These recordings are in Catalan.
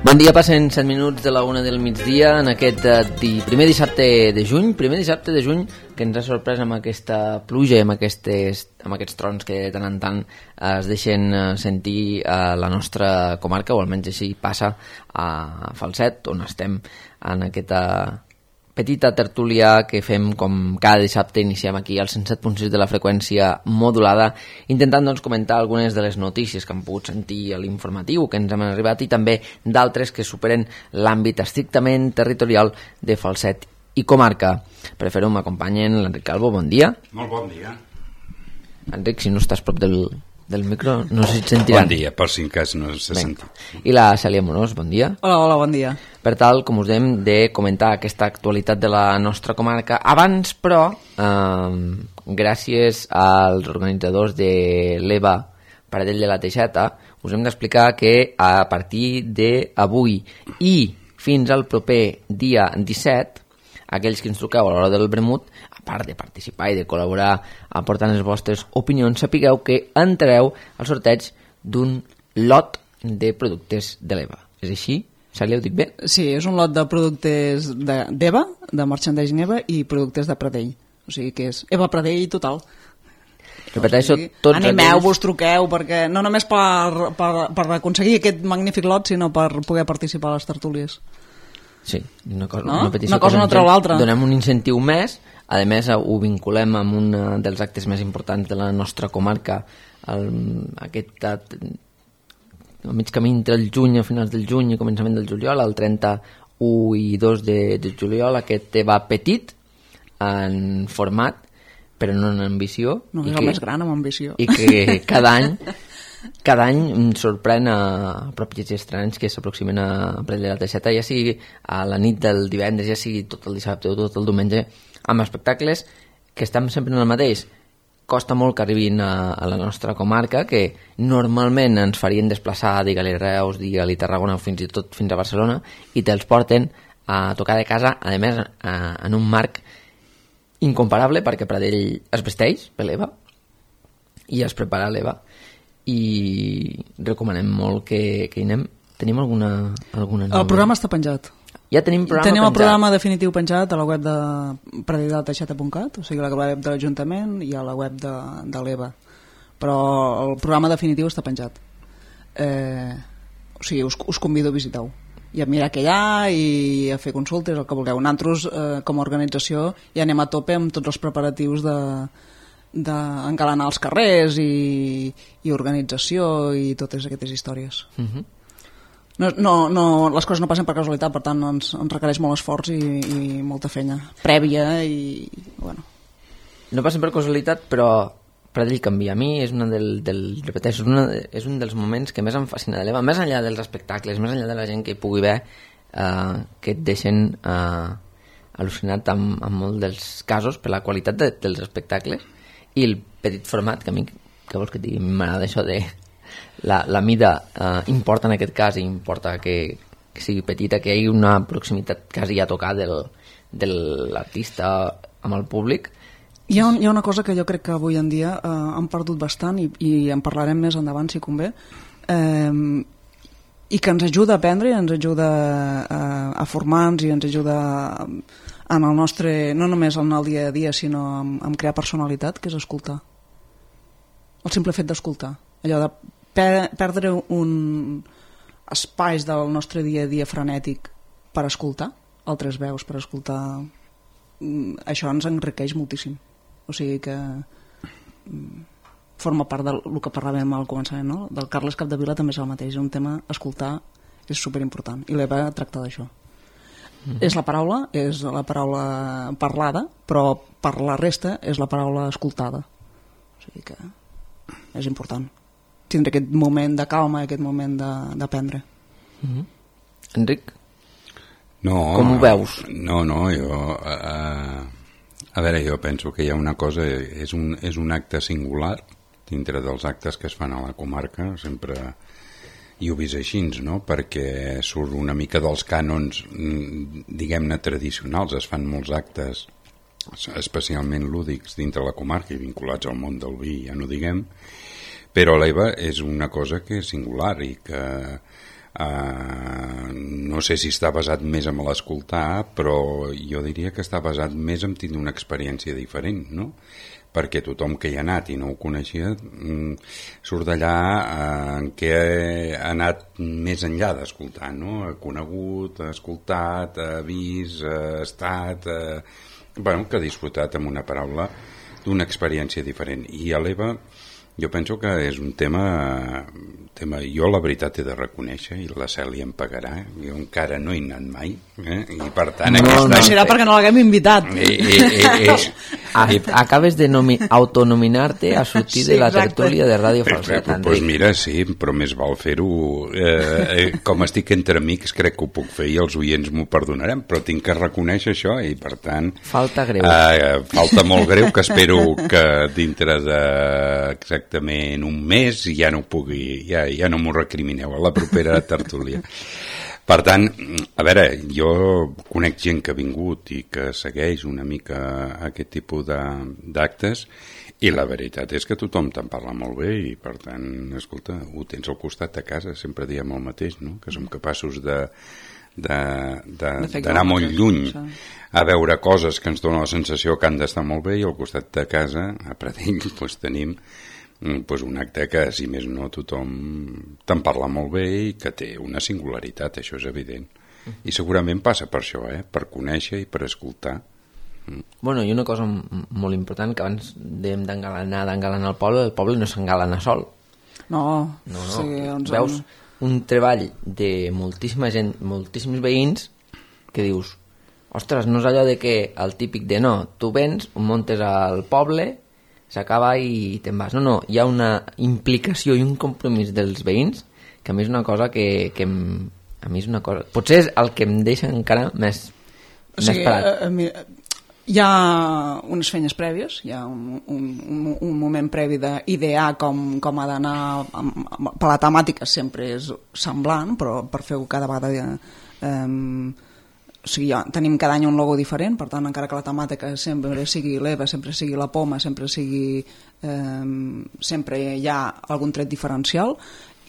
Bon dia, passen 7 minuts de la 1 del migdia en aquest primer dissabte de juny que ens ha sorprès amb aquesta pluja i amb aquests trons que de tant en tant es deixen sentir a la nostra comarca, o almenys així passa a Falset, on estem en aquesta petita tertúlia que fem com cada dissabte. Iniciem aquí al 107.6 de la freqüència modulada, intentant comentar algunes de les notícies que hem pogut sentir a l'informatiu, que ens han arribat, i també d'altres que superen l'àmbit estrictament territorial de Falset i comarca. Per fer-ho m'acompanyen l'Enric Calvo. Bon dia. Molt bon dia. Enric, si no estàs prop del micro, no sé si et sentiran. Bon dia, per si en cas no s'ha sentit. I la Cèlia Morós, bon dia. Hola, bon dia. Per tal, com us dèiem, de comentar aquesta actualitat de la nostra comarca. Abans, però, gràcies als organitzadors de l'EVA Pradell de la Teixeta, us hem d'explicar que a partir d'avui i fins al proper dia 17, aquells que ens truqueu a l'hora del vermut, a part de participar i de col·laborar aportant les vostres opinions, sapigueu que entrareu al sorteig d'un lot de productes de l'EVA. És així? Cèlia, ho dic bé? Sí, és un lot de productes d'EVA, de merchandising EVA, i productes de Pradell. O sigui que és EVA Pradell total. Repeteixo, tots animeu-vos, truqueu, perquè no només per aconseguir aquest magnífic lot, sinó per poder participar a les tertúlies. Sí, una petició, una cosa no treu l'altra. Donem un incentiu més, a més ho vinculem amb un dels actes més importants de la nostra comarca, aquest al mig camí entre el juny, a finals del juny i començament del juliol, el 31 i 2 de juliol, aquest EVA petit en format, però no en ambició. No, és el més gran amb ambició. I que cada any sorprèn a propis estranys que s'aproximen a Pradell de la Teixeta, ja sigui a la nit del divendres, ja sigui tot el dissabte o tot el diumenge, amb espectacles que estem sempre en el mateix. Costa molt que arribin a la nostra comarca, que normalment ens farien desplaçar, digue-li Reus, digue-li Tarragona o fins i tot fins a Barcelona, i te'ls porten a tocar de casa, a més en un marc incomparable, perquè Pradell es vesteix per l'EVA i es prepara l'EVA, i recomanem molt que hi anem. Tenim alguna El programa està penjat. Ja tenim el programa definitiu penjat a la web de pradeldelateixeta.cat, o sigui, a la web de l'Ajuntament i a la web de l'EVA, però el programa definitiu està penjat. O sigui, us convido a visitar-ho i a mirar què hi ha i a fer consultes, el que vulgueu. Nosaltres, com a organització, ja anem a tope amb tots els preparatius d'engalanar els carrers i organització i totes aquestes històries. No, les coses no passen per casualitat, per tant ens requereix molt esforç i molta feina prèvia i bueno. No passen per casualitat, però Pradell canvia. A mi és repeteixo, és un dels moments que més em fascina de l'EVA, més enllà dels espectacles, més enllà de la gent que hi pugui veure, que et deixen al·lucinat en molts dels casos per la qualitat dels espectacles i el petit format, que a mi, que vols que et digui, m'agrada això de la mida importa en aquest cas, i importa que sigui petita, que hi hagi una proximitat quasi a tocar de l'artista amb el públic. Hi ha una cosa que jo crec que avui en dia han perdut bastant i en parlarem més endavant si convé, i que ens ajuda a aprendre, ens ajuda a formar-nos i ens ajuda en el nostre, no només en el dia a dia, sinó en crear personalitat, que és escoltar. El simple fet d'escoltar, allò de perdre un espais del nostre dia a dia frenètic per escoltar altres veus, per escoltar, això ens enriqueix moltíssim. O sigui que forma part del que parlàvem al començament, no? Del Carles Capdevila també és el mateix, un tema, escoltar és superimportant, i l'EVA tracta d'això. És la paraula parlada, però per la resta és la paraula escoltada. O sigui que és important tindre aquest moment de calma, aquest moment d'aprendre. Enric? No, com ho veus? No, jo a veure, jo penso que hi ha una cosa, és un acte singular dintre dels actes que es fan a la comarca, sempre i ho vist així, no? Perquè surt una mica dels cànons, diguem-ne, tradicionals. Es fan molts actes especialment lúdics dintre la comarca i vinculats al món del vi, ja no diguem, Però l'EVA és una cosa que és singular i que no sé si està basat més en l'escoltar, però jo diria que està basat més en tenir una experiència diferent, no? Perquè tothom que hi ha anat i no ho coneixia surt d'allà en què ha anat més enllà d'escoltar, no? Ha conegut, ha escoltat, ha vist, ha estat, bueno, que ha disfrutat, amb una paraula, d'una experiència diferent. I a l'EVA jo penso que és un tema... Jo la veritat he de reconèixer, i la Cèlia em pagarà, jo encara no he anat mai, i per tant... No serà perquè no l'haguem invitat. Acabes de autonominar-te a sortir de la tertúlia de Ràdio Falset, Enric. Doncs mira, sí, però més val fer-ho... Com estic entre amics, crec que ho puc fer i els oients m'ho perdonarem, però tinc que reconèixer això i, per tant... Falta greu. Falta molt greu, que espero que dintre de exactament un mes ja no pugui... Ja no m'ho recrimineu a la propera tertúlia. Per tant, a veure, jo conec gent que ha vingut i que segueix una mica aquest tipus d'actes, i la veritat és que tothom te'n parla molt bé i, per tant, escolta, ho tens al costat de casa, sempre diem el mateix, no? Que som capaços d'anar molt lluny a veure coses que ens donen la sensació que han d'estar molt bé, i al costat de casa, a Pradell, doncs tenim un acte que, si més no, tothom te'n parla molt bé i que té una singularitat, això és evident. I segurament passa per això, per conèixer i per escoltar. Bueno, i una cosa molt important, que abans dèiem d'engalanar el poble no s'engalana sol. No. Sí, veus un treball de moltíssima gent, moltíssims veïns, que dius, ostres, no és allò de que el típic de no, tu vens, muntes al poble, s'acaba i te'n vas. No, hi ha una implicació i un compromís dels veïns que a mi és una cosa que a mi és una cosa... Potser és el que em deixa encara més parat. Hi ha unes feines prèvies, hi ha un moment previ d'idear com ha d'anar, per la temàtica sempre és semblant, però per fer-ho cada vegada... tenim cada any un logo diferent, per tant, encara que la temàtica sempre sigui l'EVA, sempre sigui la poma, sempre hi ha algun tret diferencial,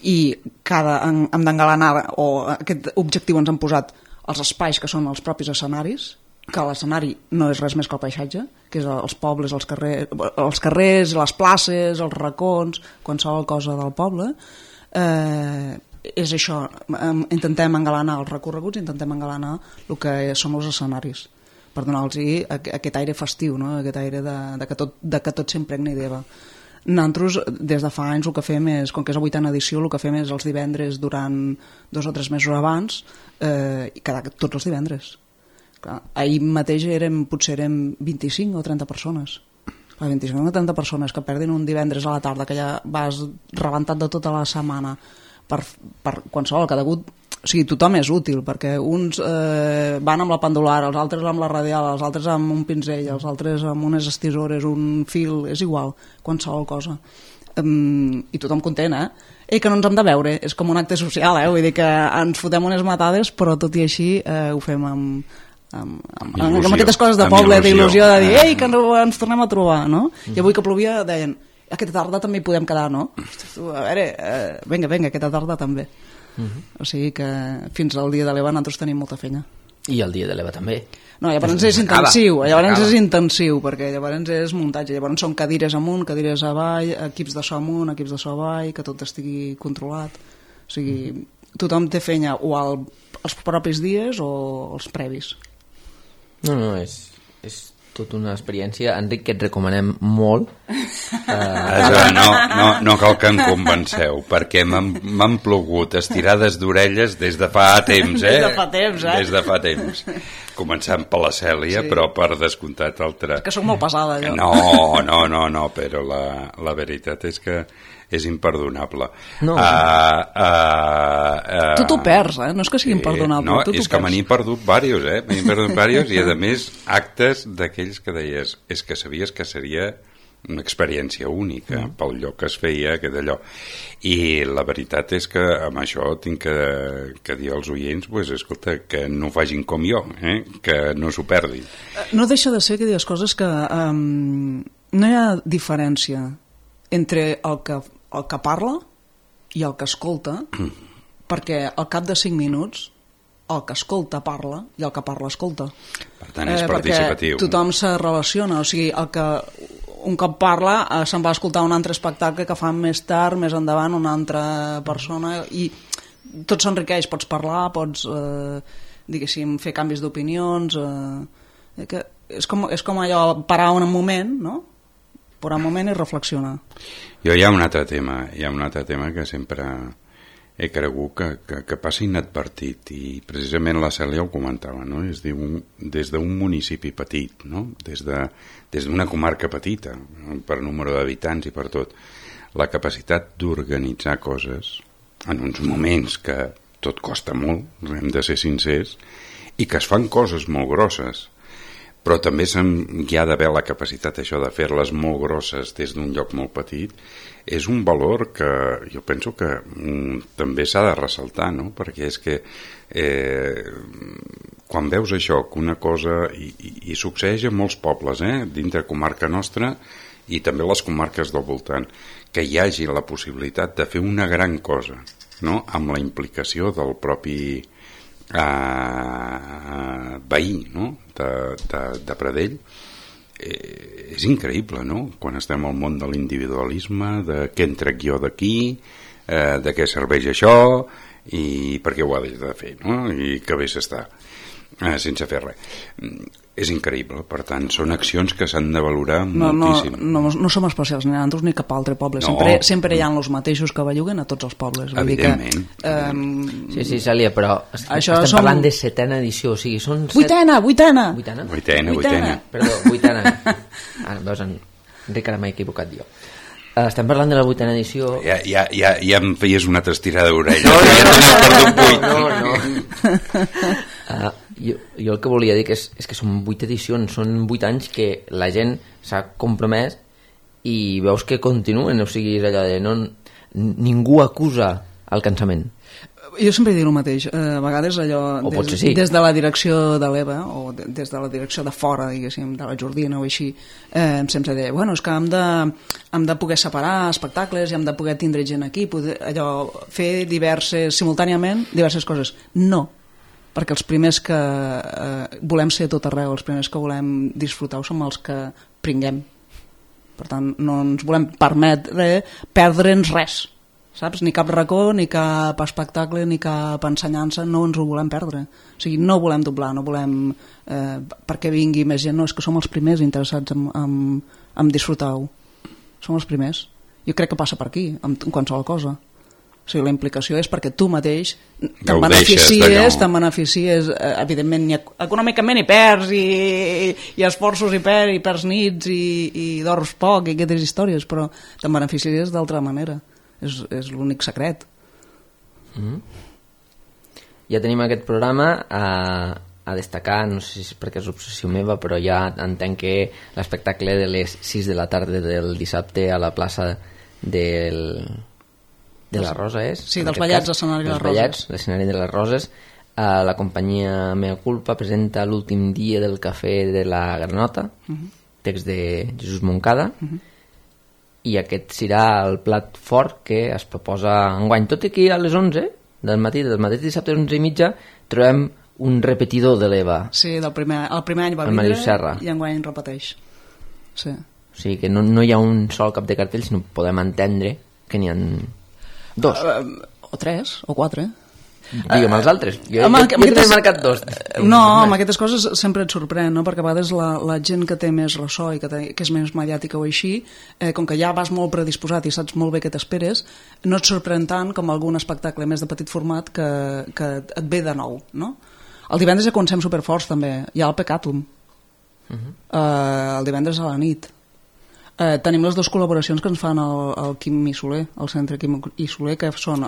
i hem d'engalanar, o aquest objectiu ens han posat els espais que són els propis escenaris, que l'escenari no és res més que el paisatge, que és els pobles, els carrers, les places, els racons, qualsevol cosa del poble. És això, intentem engalanar els recorreguts, intentem engalanar el que són els escenaris, per donar-los aquest aire festiu, no? Aquest aire de que tot s'impregni d'EVA. Nosaltres, des de fa anys, el que fem és, com que és la 8a edició, el que fem és els divendres durant 2 o 3 mesos abans, tots els divendres. Clar, ahir mateix potser érem 25 o 30 persones. 25 o 30 persones que perdin un divendres a la tarda, que ja vas rebentat de tota la setmana, per qualsevol, que degut... O sigui, tothom és útil, perquè uns van amb la pendular, els altres amb la radial, els altres amb un pinzell, els altres amb unes estisores, un fil, és igual, qualsevol cosa. I tothom content, I que no ens hem de veure, és com un acte social, vull dir que ens fotem unes matades, però tot i així ho fem amb aquestes coses de poble, d'il·lusió, de dir, ei, que ens tornem a trobar, no? I avui que plovia deien, aquesta tarda també hi podem quedar, no? A veure, vinga, aquesta tarda també. O sigui que fins al dia de l'EVA nosaltres tenim molta feina. I el dia de l'EVA també. No, llavors és intensiu, perquè llavors és muntatge, llavors són cadires amunt, cadires avall, equips de so amunt, equips de so avall, que tot estigui controlat. O sigui, tothom té feina o els propis dies o els previs. No, és tota una experiència, Enric, que et recomanem molt. No cal que em convenceu, perquè m'han plogut estirades d'orelles des de fa temps, Des de fa temps. Començant per la Cèlia, sí. Però per descomptat altra... És que soc molt pesada, jo. No, però la veritat és que és imperdonable. No. Tu t'ho perds, no és que sigui imperdonable. No, és que me n'he perdut diversos, i a més actes d'aquells que deies, és que sabies que seria una experiència única pel lloc que es feia, aquest allò. I la veritat és que amb això tinc que dir als oients, pues, escolta, que no ho facin com jo, que no s'ho perdin. No deixa de ser que dius coses que no hi ha diferència entre el que el que parla i el que escolta, perquè al cap de 5 minuts el que escolta parla i el que parla escolta. Per tant, és participatiu. Perquè tothom se relaciona, o sigui, el que un cop parla se'n va a escoltar un altre espectacle que fan més tard, més endavant, una altra persona, i tot s'enriqueix, pots parlar, pots, diguéssim, fer canvis d'opinions, és com allò, parar un moment, no? Parar un moment i reflexionar. Jo hi ha un altre tema que sempre he cregut que passa inadvertit, i precisament la Cèlia ho comentava, no? Es diu des d'un municipi petit, no? Des d'una comarca petita, per número d'habitants i per tot, la capacitat d'organitzar coses en uns moments que tot costa molt, hem de ser sincers, i que es fan coses molt grosses, però també hi ha d'haver la capacitat això de fer-les molt grosses des d'un lloc molt petit. És un valor que jo penso que també s'ha de ressaltar, no? Perquè és que quan veus això, que una cosa, i succeeix a molts pobles, dintre comarca nostra i també les comarques del voltant, que hi hagi la possibilitat de fer una gran cosa, no? Amb la implicació del propi veí, no? de Pradell, és increïble, no? Quan estem al món de l'individualisme, de què en trec jo d'aquí, de què serveix això i per què ho ha de fer, no? I que bé s'està sense fer res. És increïble, per tant, són accions que s'han de valorar moltíssim. No som especials ni nosaltres ni cap altre poble, sempre hi ha els mateixos que belluguen a tots els pobles. Evidentment. Sí, Cèlia, però estem parlant de 7ª edició, o sigui, són... Vuitena! Perdó, 8ª. Ara, veus, Enric, ara m'he equivocat jo. Estem parlant de la 8ª edició... Ja em feies una altra estirada d'orella. No. Jo el que volia dir és que són 8 edicions, són 8 anys que la gent s'ha compromès i veus que continuen, o sigui, és allò de ningú acusa el cansament. Jo sempre dic el mateix, a vegades allò des de la direcció de l'EVA o des de la direcció de fora, diguéssim, de la Jordina o així, sempre deia, bueno, és que hem de poder separar espectacles i hem de poder tindre gent aquí, allò, fer simultàniament diverses coses. No, perquè els primers que volem ser tot arreu, els primers que volem disfrutar som els que pringuem. Per tant, no ens volem permetre perdre'ns res, saps? Ni cap racó, ni cap espectacle, ni cap ensenyança, no ens ho volem perdre. O sigui, no volem doblar, no volem perquè vingui més gent, no, és que som els primers interessats en disfrutar-ho. Som els primers. Jo crec que passa per aquí, en qualsevol cosa. O sigui, la implicació és perquè tu mateix te'n beneficies, evidentment, econòmicament hi perds, i esforços hi perds nits, i dors poc, i aquestes històries, però te'n beneficies d'altra manera. És l'únic secret. Ja tenim aquest programa a destacar, no sé si és perquè és obsessió meva, però ja entenc que l'espectacle de les 6 de la tarda del dissabte a la plaça de la Rosa és? Sí, dels ballets de l'escenari de les Roses. L'escenari de les Roses. La companyia Mea Culpa presenta l'últim dia del cafè de la Granota, text de Jesús Moncada, i aquest serà el plat fort que es proposa enguany. Tot i que a les 11 del mateix dissabte a les 11:30 trobem un repetidor de l'EVA. Sí, el primer any va vindre i enguany repeteix. Sí. O sigui que no hi ha un sol cap de cartell, sinó podem entendre que n'hi ha 2 o 3 o 4. Digue'm els altres. Jo t'he marcat 2. No, amb aquestes coses sempre et sorprèn, no? Perquè a vegades la gent que té més ressò i que és més mediàtica o així, com que ja vas molt predisposat i saps molt bé què t'esperes, no et sorprèn tant com algun espectacle més de petit format que et ve de nou, no? El divendres ja comencem superforts també, hi ha el Pecatum, el divendres a la nit. Tenim les 2 col·laboracions que ens fan el Quim i Soler, el centre Quim i Soler, que són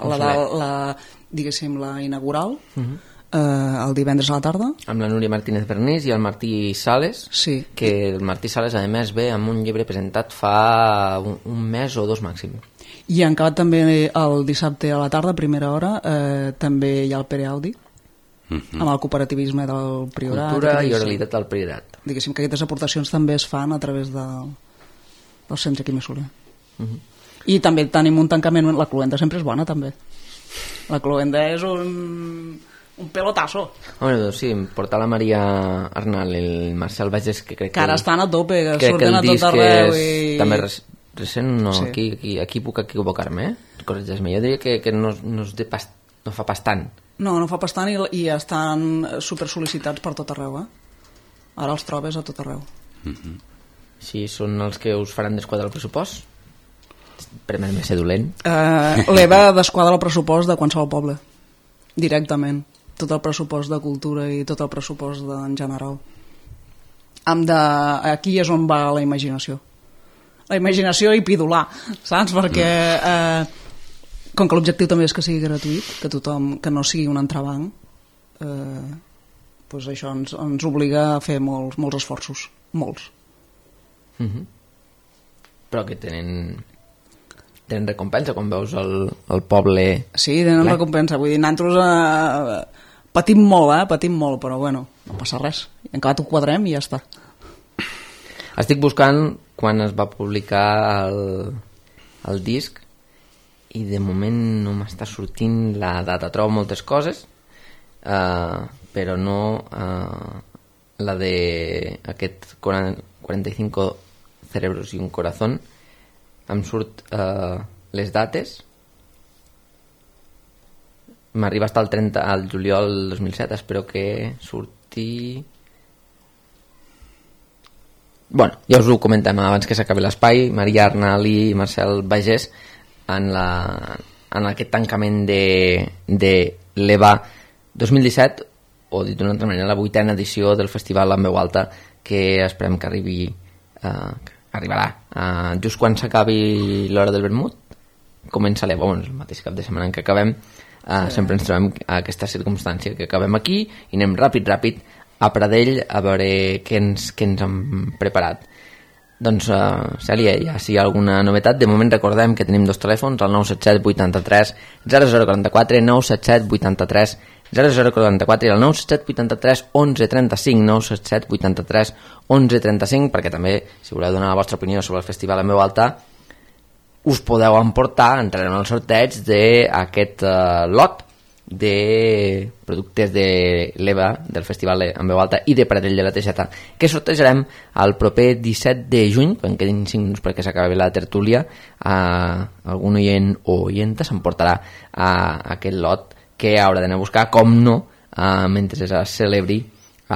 diguéssim, la inaugural, el divendres a la tarda, amb la Núria Martínez Bernís i el Martí Sales, sí. Que el Martí Sales a més ve amb un llibre presentat fa un mes o 2 màxim. I han acabat també el dissabte a la tarda, a primera hora, també hi ha el Pere Audi, amb el cooperativisme del Priorat, cultura i oralitat del Priorat. Diguéssim que aquestes aportacions també es fan a través del centre Quim i Soler. I també tenim un tancament, la cluenda sempre és bona també, la cluenda és un pelotasso. Home, doncs sí, portar la Maria Arnal i el Marcel Bages, que crec que ara estan a tope, que crec surten que a tot arreu i... també recent, no, Sí. aquí puc equivocar-me, corregeix-me, jo diria que no fa pas tant. No fa pas tant i estan super sol·licitats per tot arreu, ara els trobes a tot arreu. Si són els que us faran desquadrar el pressupost, permet-me ser dolent. L'EVA desquadra el pressupost de qualsevol poble directament, tot el pressupost de cultura i tot el pressupost en general. Aquí és on va la imaginació i pidolar, saps? Perquè com que l'objectiu també és que sigui gratuït, que tothom, que no sigui un entrebanc, doncs això ens obliga a fer molts esforços, molts. Però que tenen recompensa quan veus el poble... Sí, tenen recompensa, vull dir, nosaltres patim molt, però bueno, no passa res, en acabat ho quadrem i ja està. Estic buscant quan es va publicar el disc i de moment no m'està sortint la data. Trobo moltes coses, però no la de aquest 45 cerebros i un corazón. Em surt les dates, m'arriba fins al 30 al juliol del 2007, espero que surti... Bueno, ja us ho comentem abans que s'acabi l'espai. Maria Arnal i Marcel Bages en aquest tancament de l'EVA 2017, o dit d'una altra manera, la 8ª edició del festival en veu alta, que esperem que arribarà just quan s'acabi l'hora del vermut. Comença l'EVA, el mateix cap de setmana en què acabem. Sempre ens trobem aquesta circumstància que acabem aquí i anem ràpid a Pradell a veure què ens han preparat. Doncs, Cèlia, ja si hi ha alguna novetat, de moment recordem que tenim dos telèfons, el 977 83 0044, 977 83 0044 i el 977 83 11 35, 977 83 11 35, perquè també, si voleu donar la vostra opinió sobre el festival en veu alta, us podeu emportar, entrarem en el sorteig d'aquest lot de productes de l'EVA, del festival en veu alta i de Pradell de la Teixeta, que sortejarem el proper 17 de juny, quan quedin 5 minuts perquè s'acabi la tertúlia. Algun oient o oienta s'emportarà aquest lot que haurà d'anar a buscar, com no, mentre es celebri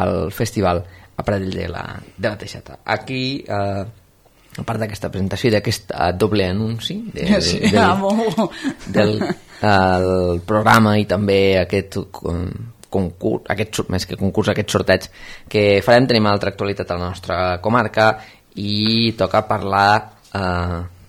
el festival a Pradell de la Teixeta. Aquí, a part d'aquesta presentació i d'aquest doble anunci del programa i també aquest concurs, més que concurs, aquest sorteig que farem, tenim altra actualitat a la nostra comarca i toca parlar,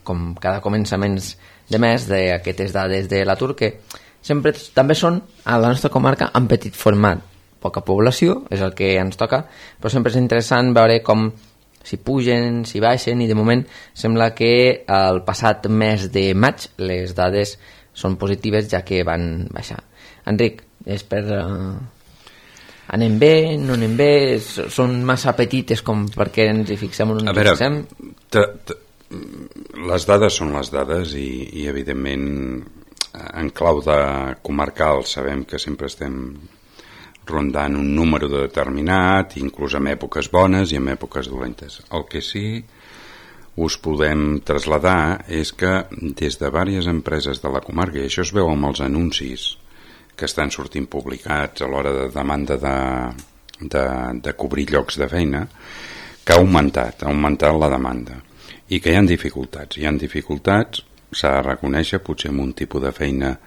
com cada començaments de mes, d'aquestes dades de l'atur que sempre també són a la nostra comarca en petit format, poca població, és el que ens toca, però sempre és interessant veure com si pugen, si baixen, i de moment sembla que el passat mes de maig les dades són positives, ja que van baixar. Enric, és per... anem bé, no anem bé, són massa petites com perquè ens hi fixem o no ens hi fixem? Les dades són les dades i evidentment en clau de comarcal sabem que sempre estem rondant un número determinat, inclús en èpoques bones i en èpoques dolentes. El que sí us podem traslladar és que des de diverses empreses de la comarca, i això es veu amb els anuncis que estan sortint publicats a l'hora de demanda de cobrir llocs de feina, que ha augmentat la demanda i que hi ha dificultats, s'ha de reconèixer, potser amb un tipus de feina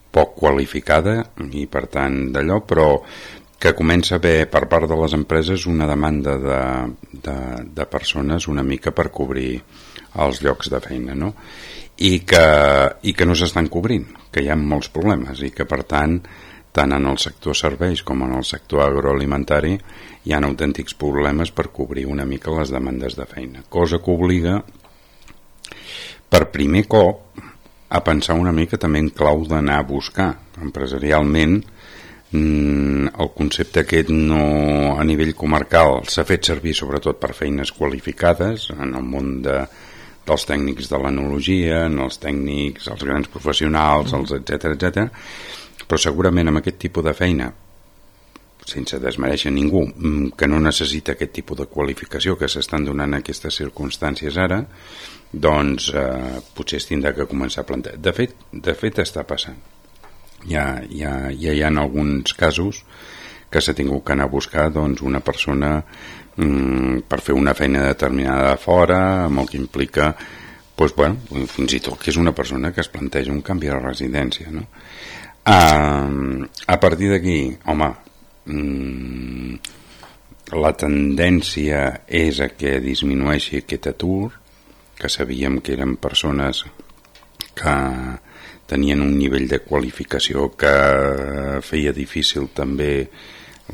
poc qualificada i per tant d'allò, però que comença a haver per part de les empreses una demanda de persones una mica per cobrir els llocs de feina, no? I que no s'estan cobrint, que hi ha molts problemes i que per tant en el sector serveis com en el sector agroalimentari hi ha autèntics problemes per cobrir una mica les demandes de feina, cosa que obliga per primer cop a pensar una mica també en clau d'anar a buscar empresarialment. El concepte aquest no, a nivell comarcal s'ha fet servir sobretot per feines qualificades en el món de dels tècnics de l'enologia, en els tècnics, els grans professionals, els etc. Però segurament amb aquest tipus de feina, sense desmereixer ningú, que no necessita aquest tipus de qualificació que s'estan donant en aquestes circumstàncies ara, doncs potser es tindrà que començar a plantejar. De fet està passant. Ja hi ha alguns casos que s'ha tingut que anar a buscar doncs, una persona per fer una feina determinada de fora, amb el que implica doncs, fins i tot que és una persona que es planteja un canvi de residència, no? A partir d'aquí, home, la tendència és a que disminueixi aquest atur, que sabíem que eren persones que tenien un nivell de qualificació que feia difícil també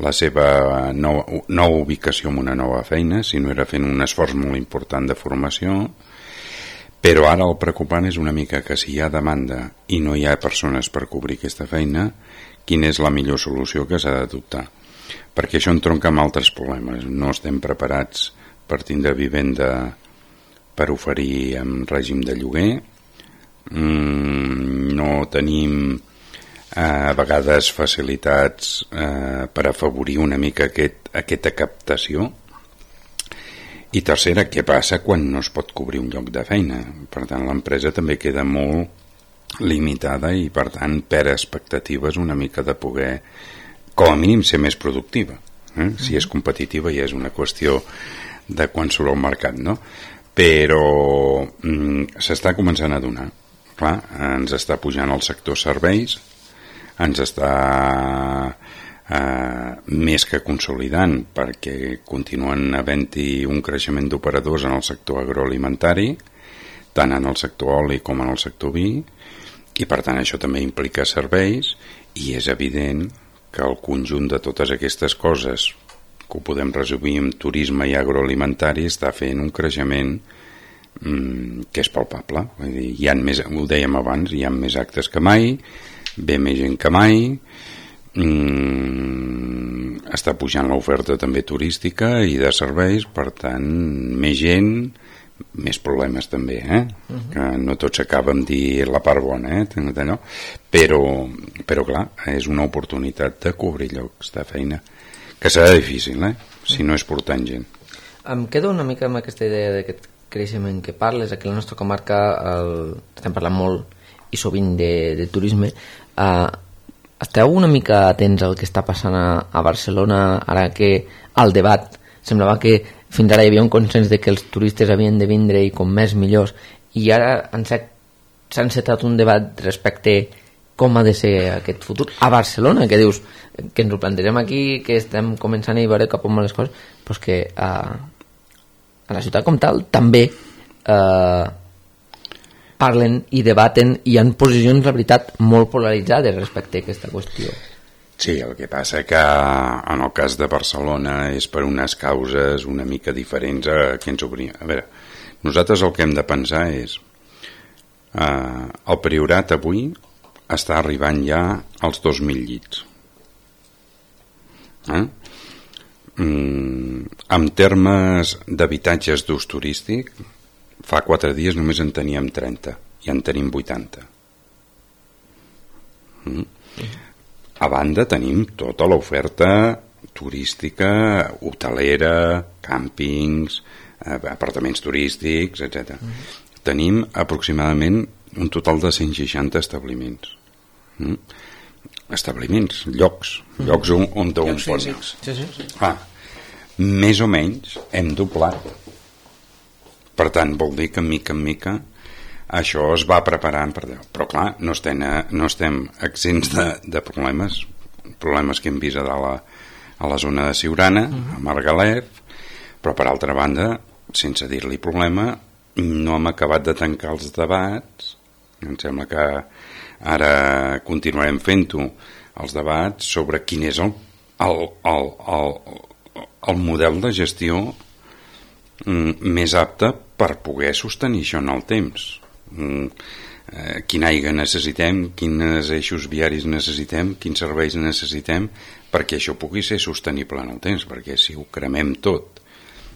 la seva nova ubicació en una nova feina, si no era fent un esforç molt important de formació. Però ara el preocupant és una mica que si hi ha demanda i no hi ha persones per cobrir aquesta feina, quina és la millor solució que s'ha d'adoptar. Perquè això entronca amb altres problemes. No estem preparats per tindre vivenda per oferir en règim de lloguer, no tenim a vegades facilitats per afavorir una mica aquesta captació. I tercera, què passa quan no es pot cobrir un lloc de feina? Per tant, l'empresa també queda molt limitada i, per tant, perd expectatives una mica de poder, com a mínim, ser més productiva. Si és competitiva ja és una qüestió de quan surt al mercat, no? Però s'està començant a donar. Clar, ens està pujant el sector serveis, ens està més que consolidant perquè continuen havent-hi un creixement d'operadors en el sector agroalimentari, tant en el sector oli com en el sector vi, i per tant això també implica serveis, i és evident que el conjunt de totes aquestes coses, que ho podem resumir en turisme i agroalimentari, està fent un creixement que és palpable. Vull dir, hi ha més, ho dèiem abans, hi ha més actes que mai, ve més gent que mai, està pujant l'oferta també turística i de serveis, per tant més gent, més problemes també, que no tot s'acaba amb dir la part bona, però clar, és una oportunitat de cobrir llocs de feina que serà difícil, si no és portant gent. Em quedo una mica amb aquesta idea d'aquest creixement que parles. Aquí a la nostra comarca estem parlant molt i sovint de turisme. Esteu una mica atents al que està passant a Barcelona, ara que el debat semblava que fins ara hi havia un consens de que els turistes havien de vindre i com més millors, i ara s'ha encetat un debat respecte com ha de ser aquest futur a Barcelona, que dius que ens ho plantegem aquí, que estem començant a veure cap on van les coses, però és que a la ciutat com tal també parlen i debaten i hi ha posicions, la veritat, molt polaritzades respecte a aquesta qüestió. Sí, el que passa que en el cas de Barcelona és per unes causes una mica diferents a què ens obria. A veure, nosaltres el que hem de pensar és el Priorat avui està arribant ja als 2.000 llits. En termes d'habitatges d'ús turístic, fa 4 dies només en teníem 30 i en tenim 80. A banda tenim tota l'oferta turística, hotelera, càmpings, apartaments turístics, etc. Tenim aproximadament un total de 160 establiments. Establiments, llocs on un pot anar. Més o menys hem doblat. Per tant, vol dir que mica en mica això es va preparant però clar, no estem exempts de problemes que hem vist a la zona de Siurana, a Margalef, però per altra banda, sense dir-li problema, no hem acabat de tancar els debats. Em sembla que ara continuarem fent-ho, els debats sobre quin és el model de gestió més apte per poder sostenir això en el temps. Quin aigua necessitem, quins eixos viaris necessitem, quins serveis necessitem perquè això pugui ser sostenible en el temps, perquè si ho cremem tot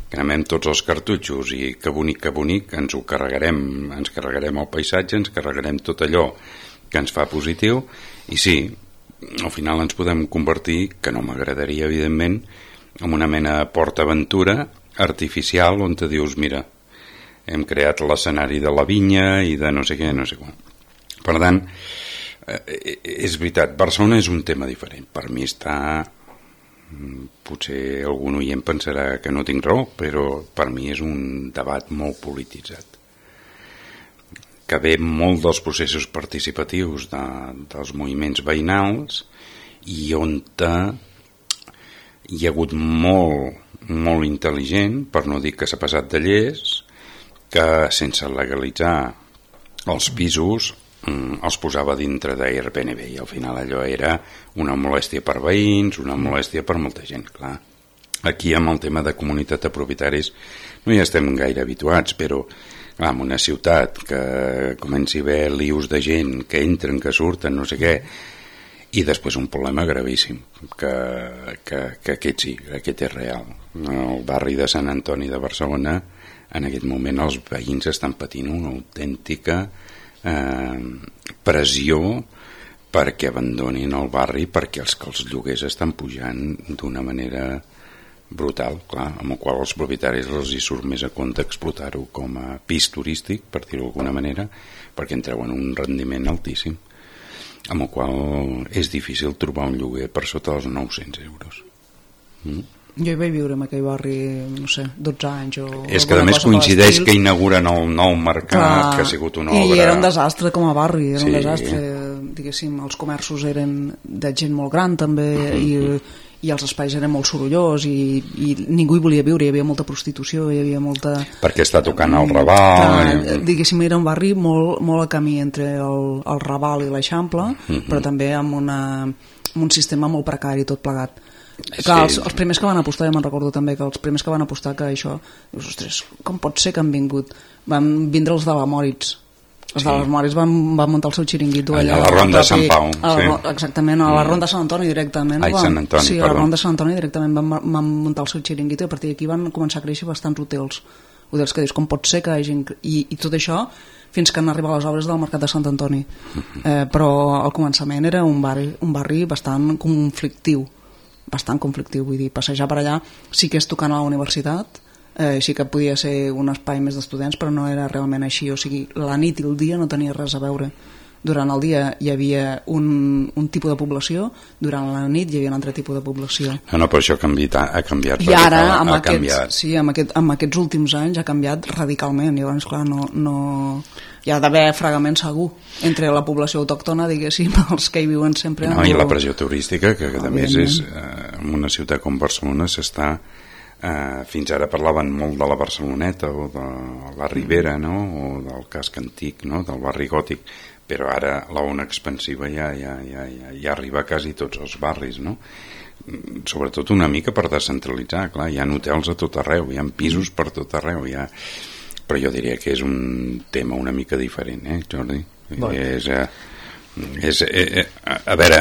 cremem tots els cartutxos i que bonic, ens carregarem el paisatge, ens carregarem tot allò que ens fa positiu, i sí, al final ens podem convertir, que no m'agradaria evidentment, en una mena de PortAventura artificial on te dius, mira, hem creat l'escenari de la vinya i de no sé què, no sé com. Per tant, és veritat, Barcelona és un tema diferent. Per mi està... Potser algun oient pensarà que no tinc raó, però per mi és un debat molt polititzat, que ve molt dels processos participatius dels moviments veïnals i on hi ha hagut molt intel·ligent, per no dir que s'ha passat de llest, que sense legalitzar els pisos els posava dintre d'Airbnb i al final allò era una molèstia per veïns, una molèstia per molta gent, clar. Aquí amb el tema de comunitat de propietaris no hi estem gaire habituats, però clar, en una ciutat que comenci a haver lius de gent que entren, que surten, no sé què, i després un problema gravíssim que aquest sí, aquest és real. El barri de Sant Antoni de Barcelona en aquest moment els veïns estan patint una autèntica pressió perquè abandonin el barri, perquè els lloguers estan pujant d'una manera brutal, clar, amb el qual els propietaris els hi surt més a compte explotar-ho com a pis turístic, per dir-ho d'alguna manera, perquè en treuen un rendiment altíssim, amb el qual és difícil trobar un lloguer per sota dels 900 euros. Jo hi vaig viure en aquell barri, no sé, 12 anys o... És que a més coincideix que inauguren el nou mercat, que ha sigut una obra... I era un desastre com a barri, era un desastre, diguéssim, els comerços eren de gent molt gran també, i els espais eren molt sorollós i ningú hi volia viure, hi havia molta prostitució, hi havia molta... Perquè està tocant el Raval... Diguéssim, era un barri molt a camí entre el Raval i l'Eixample, però també amb un sistema molt precari tot plegat. Clar, els primers que van apostar, ja me'n recordo també que els primers que van apostar que això, dius, ostres, com pot ser que han vingut? Van vindre els de la Moritz. Els de les Moritz van muntar el seu xiringuito allà a la Ronda de Sant Pau. Exactament, a la Ronda de Sant Antoni directament. Sant Antoni, sí, a la Ronda de Sant Antoni directament van muntar el seu xiringuito i a partir d'aquí van començar a créixer bastants hotels que dius, com pot ser que hagin... I tot això fins que han arribat les obres del Mercat de Sant Antoni. Però al començament era un barri bastant conflictiu, vull dir, passejar per allà sí que és tocant a la universitat, sí que podia ser un espai més d'estudiants, però no era realment així, o sigui, la nit i el dia no tenia res a veure. Durant el dia hi havia un tipus de població, durant la nit hi havia un altre tipus de població. No, però això ha canviat. I ara, amb aquests últims anys ha canviat radicalment, llavors, clar, no hi ha d'haver fragament segur entre la població autòctona, diguéssim, els que hi viuen sempre. No, i la pressió turística, que a més és, en una ciutat com Barcelona s'està... fins ara parlaven molt de la Barceloneta o de la Ribera, no? O del casc antic, no? Del barri gòtic, però ara la ona expansiva ja arriba a quasi tots els barris, no? Sobretot una mica per descentralitzar, clar, hi ha hotels a tot arreu, hi ha pisos per tot arreu, però jo diria que és un tema una mica diferent, Jordi? A veure...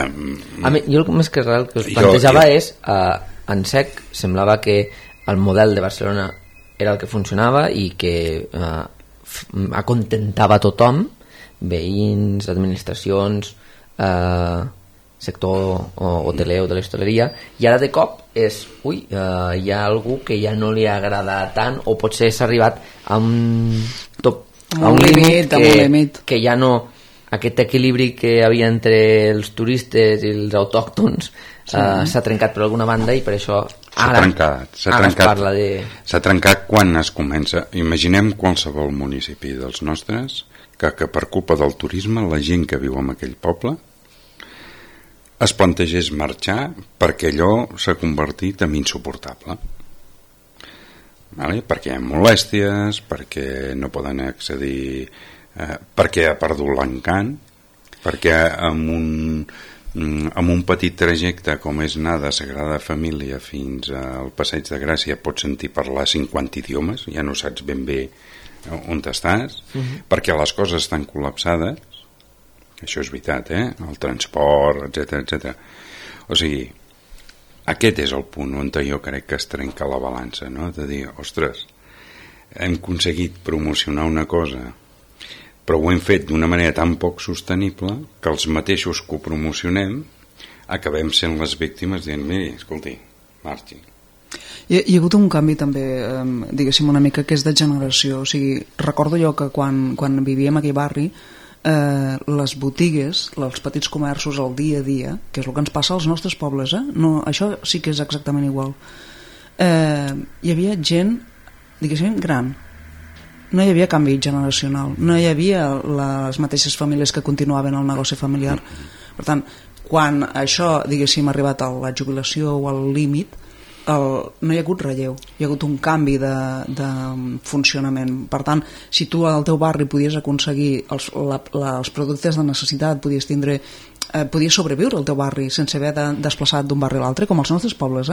A mi, jo més que res el que us plantejava és, en sec, semblava que el model de Barcelona era el que funcionava i que acontentava tothom, veïns, administracions, sector hoteler o de l'hostaleria, i ara de cop és, hi ha algú que ja no li agrada tant, o potser s'ha arribat a un límit que ja no, aquest equilibri que hi havia entre els turistes i els autòctons s'ha trencat per alguna banda, i per això ara es parla de... S'ha trencat quan es comença. Imaginem qualsevol municipi dels nostres que per culpa del turisme la gent que viu en aquell poble es plantegés marxar perquè allò s'ha convertit en insuportable, vale? Perquè hi ha molèsties, perquè no poden accedir, perquè ha perdut l'encant, perquè amb un petit trajecte com és anar de Sagrada Família fins al Passeig de Gràcia pots sentir parlar 50 idiomes, ja no saps ben bé on estàs, perquè les coses estan col·lapsades. Això és veritat, el transport, etc. O sigui, aquest és el punt on jo crec que es trenca la balança, no? De dir, ostres, hem aconseguit promocionar una cosa, però ho hem fet d'una manera tan poc sostenible que els mateixos que ho promocionem acabem sent les víctimes dient, miri, escolti, marxi. Hi ha hagut un canvi també, diguéssim, una mica que és de generació. O sigui, recordo jo que quan vivíem a aquell barri, les botigues, els petits comerços, el dia a dia, que és el que ens passa als nostres pobles, no, això sí que és exactament igual. Hi havia gent, diguéssim, gran. No hi havia canvi generacional, no hi havia les mateixes famílies que continuaven el negoci familiar. Per tant, quan això, diguéssim, ha arribat a la jubilació o al límit, no hi ha hagut relleu, hi ha hagut un canvi de funcionament. Per tant, si tu al teu barri podies aconseguir els productes de necessitat, podies sobreviure al teu barri sense haver de desplaçar d'un barri a l'altre, com els nostres pobles,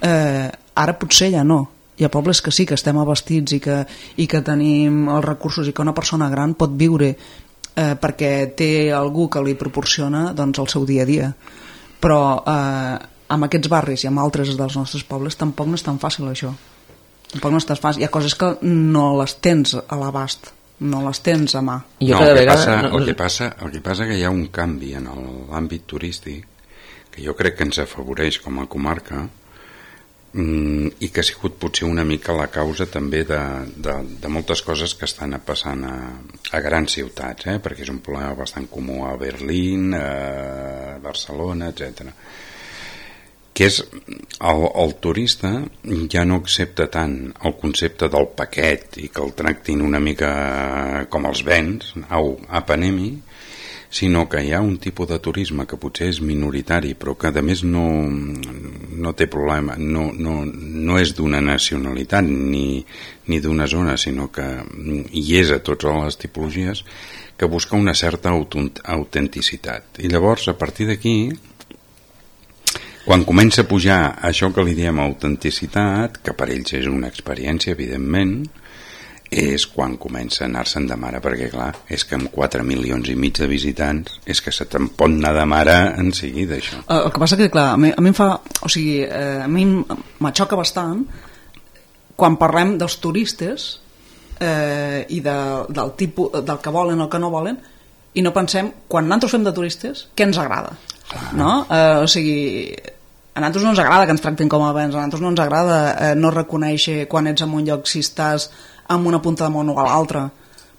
ara potser ja no. Hi ha pobles que sí, que estem abastits i que tenim els recursos i que una persona gran pot viure perquè té algú que li proporciona doncs, el seu dia a dia. Però amb aquests barris i amb altres dels nostres pobles tampoc no és tan fàcil això. Tampoc no és tan fàcil. Hi ha coses que no les tens a l'abast, no les tens a mà. El que passa que hi ha un canvi en l'àmbit turístic que jo crec que ens afavoreix com a comarca i que ha sigut potser una mica la causa també de moltes coses que estan passant a grans ciutats, perquè és un problema bastant comú a Berlín, a Barcelona, etc. Que és el turista ja no accepta tant el concepte del paquet i que el tractin una mica com els béns, au, apanemi, sinó que hi ha un tipus de turisme que potser és minoritari però que a més no té problema, no és d'una nacionalitat ni d'una zona, sinó que hi és a totes les tipologies, que busca una certa autenticitat. I llavors, a partir d'aquí, quan comença a pujar això que li diem autenticitat, que per ells és una experiència, evidentment, és quan comença a anar-se'n de mare, perquè clar, és que amb 4,5 milions de visitants és que se te'n pot anar de mare en seguida, això. El que passa que, clar, a mi em fa... O sigui, a mi m'aixoca bastant quan parlem dels turistes i del tipus, del que volen o el que no volen, i no pensem, quan nosaltres fem de turistes, què ens agrada, no? O sigui, a nosaltres no ens agrada que ens tractin com a béns, a nosaltres no ens agrada no reconèixer quan ets en un lloc si estàs amb una punta de món o a l'altra,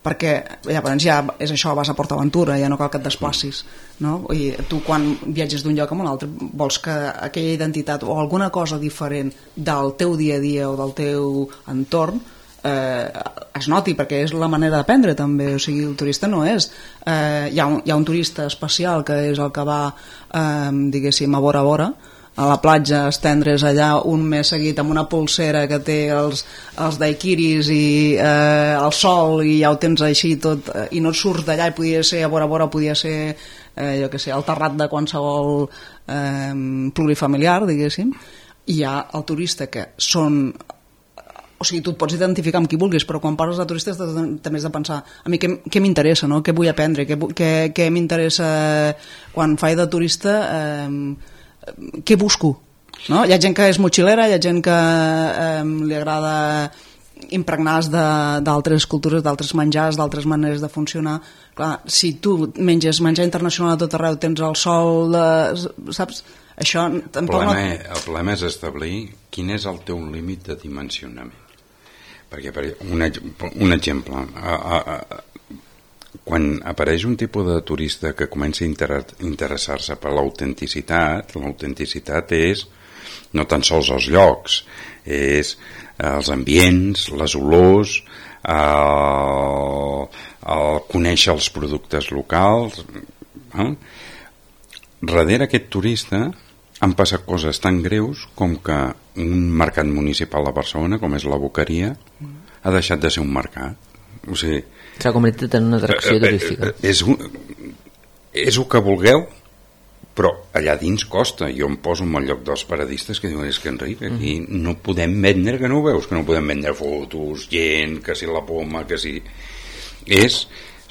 perquè llavors ja és això, vas a PortAventura, ja no cal que et desplacis, no? I tu quan viatges d'un lloc a un altre vols que aquella identitat o alguna cosa diferent del teu dia a dia o del teu entorn es noti, perquè és la manera d'aprendre també. O sigui, el turista no és hi ha un turista especial que és el que va diguéssim a vora a la platja, estendre's allà un mes seguit amb una pulsera que té els daiquiris i el sol i ja ho tens així tot, i no et surts d'allà, i podia ser a vora, podia ser jo què sé, el terrat de qualsevol plurifamiliar, diguéssim. I hi ha el turista que són... O sigui, tu et pots identificar amb qui vulguis, però quan parles de turistes també has de pensar a mi què m'interessa, no? Què vull aprendre, què m'interessa quan faig de turista, què busco, no? Hi ha gent que és motxilera, hi ha gent que li agrada impregnar-se d'altres cultures, d'altres menjars, d'altres maneres de funcionar. Clar, si tu menges menjar internacional a tot arreu, tens el sol, saps? Això tampoc el problema és establir quin és el teu límit de dimensionament. Perquè, un exemple, quan apareix un tipus de turista que comença a interessar-se per l'autenticitat és no tan sols els llocs, és els ambients, les olors, conèixer els productes locals. Darrere aquest turista han passat coses tan greus com que un mercat municipal a Barcelona, com és la Boqueria, ha deixat de ser un mercat. O sigui, s'ha convertit en una atracció turística. És el que vulgueu, però allà dins costa. Jo em poso en el lloc dels paradistes que diuen, és que Enric, aquí no podem vendre, que no ho veus, que no podem vendre fotos, gent, que si la poma, que si...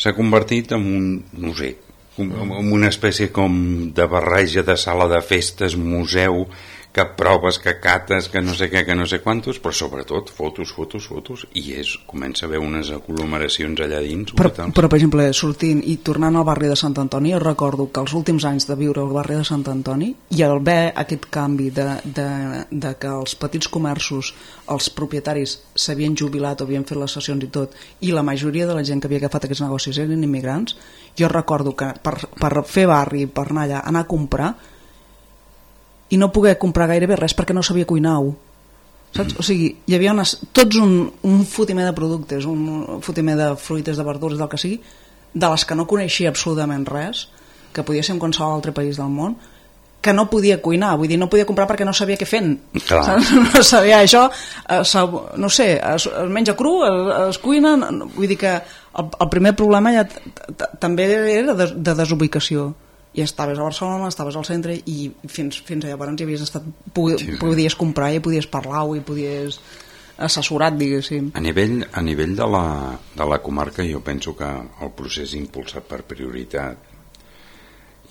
S'ha convertit en un, no sé, en una espècie com de barreja de sala de festes, museu, que proves, que cates, que no sé què, que no sé quantos, però sobretot fotos, i comença a haver unes aglomeracions allà dins. Però per exemple, sortint i tornant al barri de Sant Antoni, jo recordo que els últims anys de viure al barri de Sant Antoni i al ver aquest canvi de que els petits comerços, els propietaris s'havien jubilat o havien fet les sessions i tot, i la majoria de la gent que havia agafat aquests negocis eren immigrants, jo recordo que per fer barri, per anar allà, anar a comprar, i no poder comprar gairebé res perquè no sabia cuinar-ho, saps? O sigui, hi havia tots un fotimer de productes, un fotimer de fruites, de verdures, del que sigui, de les que no coneixia absolutament res, que podia ser en qualsevol altre país del món, que no podia cuinar, vull dir, no podia comprar perquè no sabia què fent. No sabia això, no sé, es menja cru, es cuina, vull dir que el primer problema ja també era de desubicació. I estaves a Barcelona, estaves al centre i fins llavors hi havies estat, podies comprar i podies parlar-ho i podies assessorar, diguéssim. A nivell de la comarca, jo penso que el procés impulsat per prioritat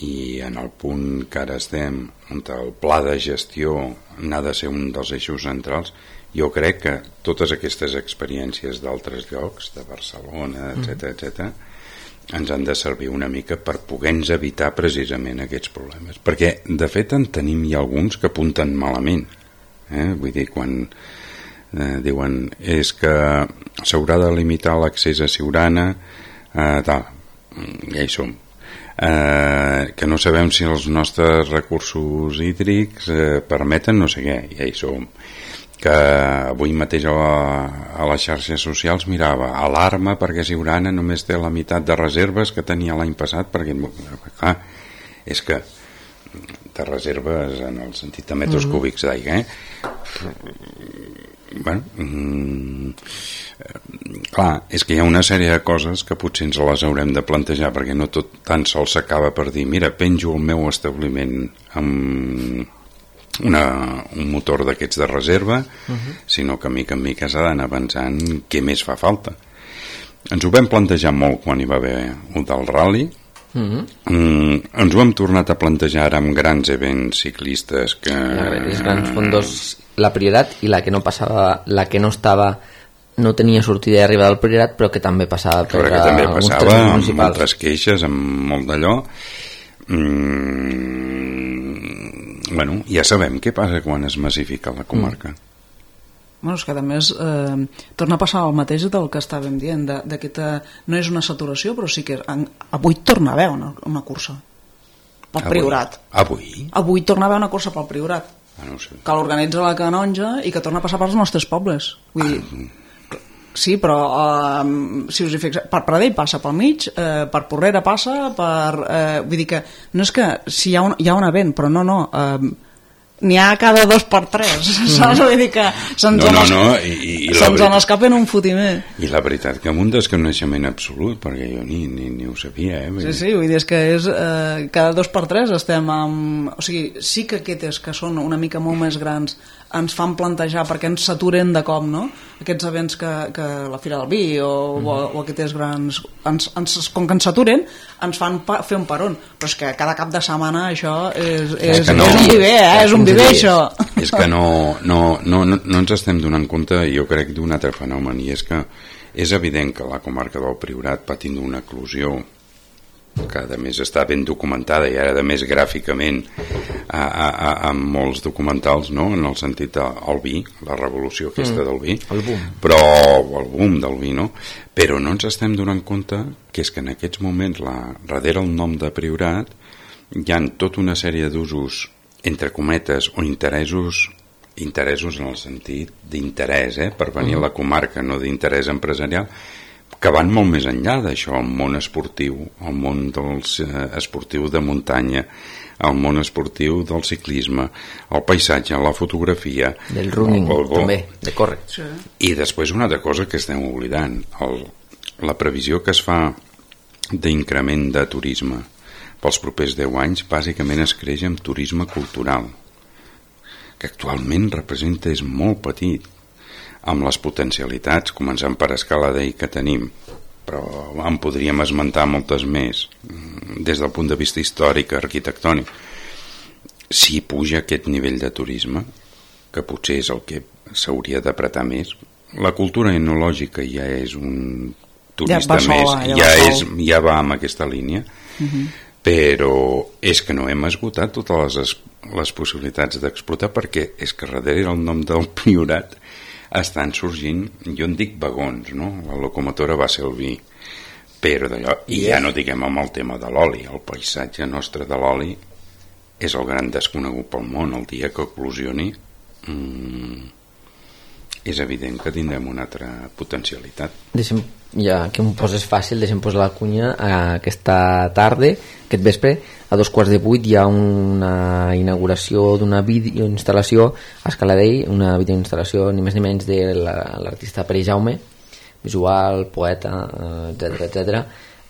i en el punt que ara estem, on el pla de gestió n'ha de ser un dels eixos centrals, jo crec que totes aquestes experiències d'altres llocs, de Barcelona, etc., ens han de servir una mica per poder-nos evitar precisament aquests problemes, perquè de fet en tenim hi alguns que apunten malament, vull dir, quan diuen és que s'haurà de limitar l'accés a Siurana, tal, ja hi som, que no sabem si els nostres recursos hídrics permeten no sé què, ja hi som, que avui mateix a les xarxes socials mirava alarma perquè Siurana només té la meitat de reserves que tenia l'any passat, perquè clar, és que de reserves en el sentit de metres cúbics d'aigua, bueno, clar, és que hi ha una sèrie de coses que potser ens les haurem de plantejar, perquè no tot tan sols s'acaba per dir mira, penjo el meu establiment amb un motor d'aquests de reserva, sinó que mica en mica s'ha d'anar avançant què més fa falta. Ens ho vam plantejar molt quan hi va haver un del rally, ens ho hem tornat a plantejar ara amb grans events ciclistes que... Els grans fondos, la Priorat i la que no passava, la que no estava, no tenia sortida i arribada al Priorat, però que també passava per alguns termes municipals. Amb moltes queixes, amb molt d'allò. Bueno, ja sabem què passa quan es massifica la comarca. Bueno, és que a més torna a passar el mateix del que estàvem dient, no és una saturació, però sí que avui torna a haver una cursa pel Priorat. Avui torna a haver una cursa pel Priorat, no sé, que l'organitza la Canonja i que torna a passar pels nostres pobles. Vull dir, sí, però si us hi fixeu, per Pradell passa pel mig, per Porrera passa, vull dir que no és que si hi ha un event, però no, n'hi ha cada 2 per 3, saps? Vull dir que se'ns n'escapen un fotimer. I la veritat que amb un desconeixement absolut, perquè jo ni ho sabia, Sí, vull dir, és que és cada 2 per 3 estem amb... O sigui, sí que aquestes que són una mica molt més grans ens fan plantejar perquè ens saturen de cop, no? Aquests events que la Fira del Vi o aquests grans... com que ens saturen, ens fan fer un peron. Però és que cada cap de setmana això és un viver, és un viver, això. És que no ens estem donant compte, jo crec, d'un altre fenomen, i és que és evident que la comarca del Priorat patint d'una eclosió que a més està ben documentada i ara a més gràficament amb molts documentals, no? En el sentit del vi, la revolució aquesta del vi, el boom. Però el boom del vi, no? Però no ens estem donant compte que és que en aquests moments darrere el nom de Priorat hi ha tota una sèrie d'usos, entre cometes, o interessos en el sentit d'interès, per venir a la comarca, no d'interès empresarial, que van molt més enllà d'això, el món esportiu, el món esportiu de muntanya, el món esportiu del ciclisme, el paisatge, la fotografia, del running, també, de córrer. Sí. I després una altra cosa que estem oblidant, la previsió que es fa d'increment de turisme pels propers 10 anys, bàsicament es creix amb turisme cultural, que actualment representa és molt petit, amb les potencialitats, començant per Escaladei que tenim, però en podríem esmentar moltes més des del punt de vista històric, arquitectònic. si puja aquest nivell de turisme, que potser és el que s'hauria d'apretar més, la cultura enològica ja és un turista ja va amb aquesta línia, però és que no hem esgotat totes les possibilitats d'explotar, perquè és que darrere el nom del Priorat estan sorgint, jo en dic vagons, no? La locomotora va ser el vi, però d'allò, i ja no diguem amb el tema de l'oli, el paisatge nostre de l'oli és el gran desconegut pel món. El dia que eclosioni és evident que tindrem una altra potencialitat. Deixem, ja que em poses fàcil, deixem posar la cunya. Aquesta tarda, aquest vespre, a 7:15 hi ha una inauguració d'una videoinstal·lació a Escaladell, una videoinstal·lació ni més ni menys de l'artista Pere Jaume, visual, poeta, etc.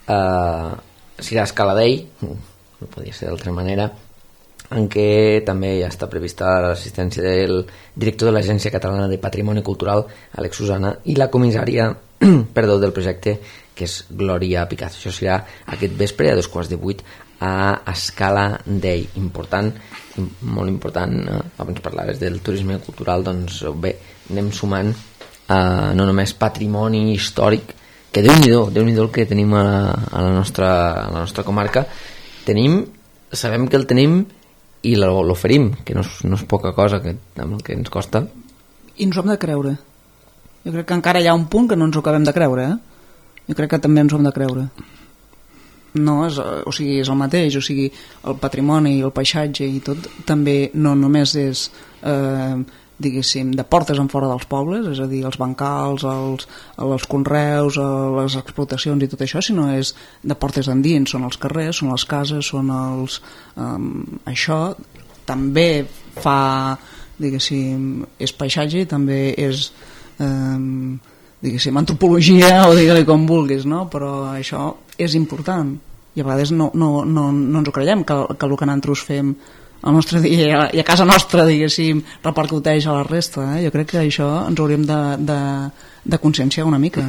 Serà a Escaladell, no podia ser d'altra manera, en què també ja està prevista l'assistència del director de l'Agència Catalana de Patrimoni Cultural, Àlex Susana, i la comissària del projecte, que és Glòria Picazo. Això serà aquest vespre a 7:15 a Escaladell. Important, molt important. Abans parlaves del turisme cultural, doncs bé, anem sumant no només patrimoni històric, que Déu-n'hi-do el que tenim a la nostra comarca. Sabem que el tenim i l'oferim, que no és poca cosa amb el que ens costa. I ens ho hem de creure. Jo crec que encara hi ha un punt que no ens ho acabem de creure, Jo crec que també ens ho hem de creure. No, és el mateix, el patrimoni, el paisatge i tot, també no només és diguéssim, de portes en fora dels pobles, és a dir, els bancals, els conreus, les explotacions i tot això, sinó és de portes endins, són els carrers, són les cases, són els... això també fa, diguéssim, és paisatge i també és, diguéssim, antropologia, o digue-li com vulguis, no? Però això és important i a vegades no ens ho creiem, que el que nosaltres fem al nostre dia i a casa nostra, diguéssim, repercuteix a la resta. Jo crec que això ens hauríem de conscienciar una mica.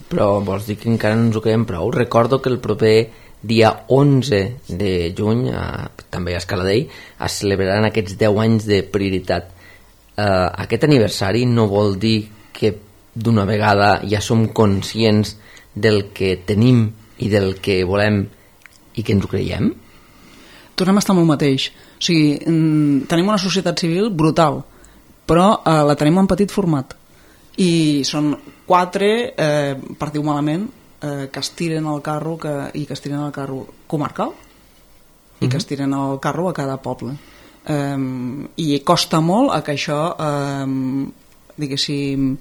Però vols dir que encara no ens ho creiem prou? Recordo que el proper dia 11 de juny, també a Escaladell, es celebraran aquests 10 anys de prioritat. Aquest aniversari no vol dir que d'una vegada ja som conscients del que tenim i del que volem i que ens ho creiem? Tornem a estar amb el mateix. O sigui, tenim una societat civil brutal, però la tenim en petit format. I són 4, per dir-ho malament, que es tiren el carro i que es tiren el carro comarcal i que es tiren el carro a cada poble. I costa molt que això, diguéssim,